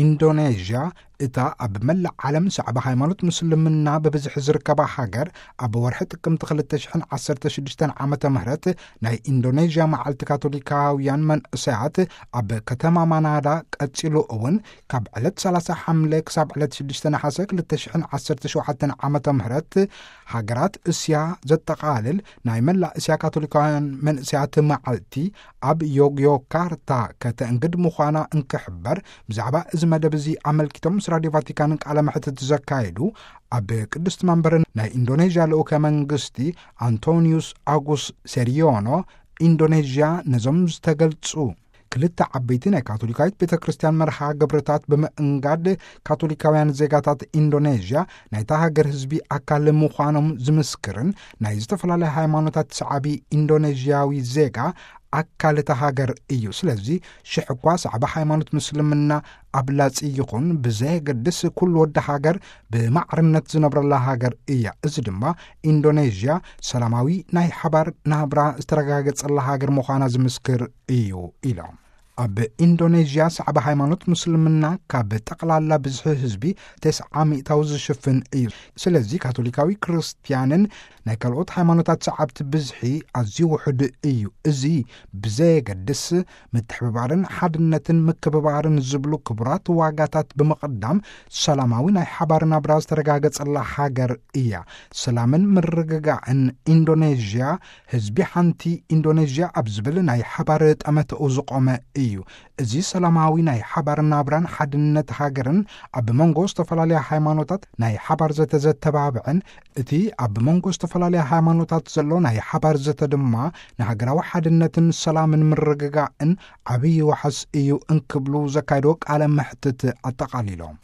ኢንዶኔዥያ፣ እታ ኣብ መላእ ዓለም ሰዕባ ሃይማኖት ምስልምና ብብዝሒ ዝርከባ ሃገር፣ ኣብ ወርሒ ጥቅምቲ ክልተ ሽሕን ዓሰርተ ሽዱሽተን ዓመተ ምህረት ናይ ኢንዶኔዥያ መዓልቲ ካቶሊካውያን መንእሰያት ኣብ ከተማ ማናዳ ቀጺሉ እውን ካብ ዕለት ሰላሳ ሓምለ ክሳብ ዕለት ሽዱሽተ ነሓሰ ክልተ ሽሕን ዓሰርተ ሸውዓተን ዓመተ ምህረት ሃገራት እስያ ዘጠቓልል ናይ መላእ እስያ ካቶሊካውያን መንእሰያት መዓልቲ ኣብ ዮግዮካርታ ከተእንግድ ምዃና እንክሕበር፣ ብዛዕባ እዚ መደብ እዚ ኣመልኪቶም ምስ ራድዮ ቫቲካን ቃለ መሕትት ዘካየዱ ኣብ ቅድስቲ መንበር ናይ ኢንዶኔዥያ ልኡከ መንግስቲ ኣንቶኒዩስ ኣጉስ ሴሪዮኖ፣ ኢንዶኔዥያ ነዞም ዝተገልጹ ክልተ ዓበይቲ ናይ ካቶሊካዊት ቤተ ክርስቲያን መርሃ ግብርታት ብምእንጋድ፣ ካቶሊካውያን ዜጋታት ኢንዶኔዥያ ናይታ ሃገር ህዝቢ ኣካል ምዃኖም ዝምስክርን ናይ ዝተፈላለያ ሃይማኖታት ሰዓቢ ኢንዶኔዥያዊ ዜጋ ኣካል እታ ሃገር እዩ። ስለዚ ሽሕ እኳ ሰዕባ ሃይማኖት ምስልምና ኣብላጺ ይኹን ብዘየገድስ፣ ኩሉ ወዲ ሃገር ብማዕርነት ዝነብረላ ሃገር እያ። እዚ ድማ ኢንዶኔዥያ ሰላማዊ ናይ ሓባር ናብራ ዝተረጋገጸላ ሃገር ምዃና ዝምስክር እዩ ኢሎም። ኣብ ኢንዶኔዥያ ሰዕባ ሃይማኖት ምስልምና ካብ ጠቕላላ ብዝሒ ህዝቢ ተስዓ ሚእታዊ ዝሽፍን እዩ። ስለዚ ካቶሊካዊ ክርስትያንን ናይ ካልኦት ሃይማኖታት ሰዓብቲ ብዝሒ ኣዝዩ ውሑድ እዩ። እዚ ብዘየገድስ፣ ምትሕብባርን ሓድነትን ምክብባርን ዝብሉ ክቡራት ዋጋታት ብምቕዳም፣ ሰላማዊ ናይ ሓባር ናብራ ዝተረጋገጸላ ሃገር እያ። ሰላምን ምርግጋዕን ኢንዶኔዥያ፣ ህዝቢ ሓንቲ ኢንዶኔዥያ ኣብ ዝብል ናይ ሓባር ጠመተኡ ዝቖመ እዩ። እዚ ሰላማዊ ናይ ሓባር ናብራን ሓድነት ሃገርን ኣብ መንጎ ዝተፈላለያ ሃይማኖታት ናይ ሓባር ዘተ ዘተባብዕን፣ እቲ ኣብ መንጎ ዝተፈላለያ ሃይማኖታት ዘሎ ናይ ሓባር ዘተ ድማ ንሃገራዊ ሓድነትን ሰላምን ምርግጋእን ዓብዪ ዋሕስ እዩ እንክብሉ ዘካየዶ ቃለ መሕትት ኣጠቓሊሎም።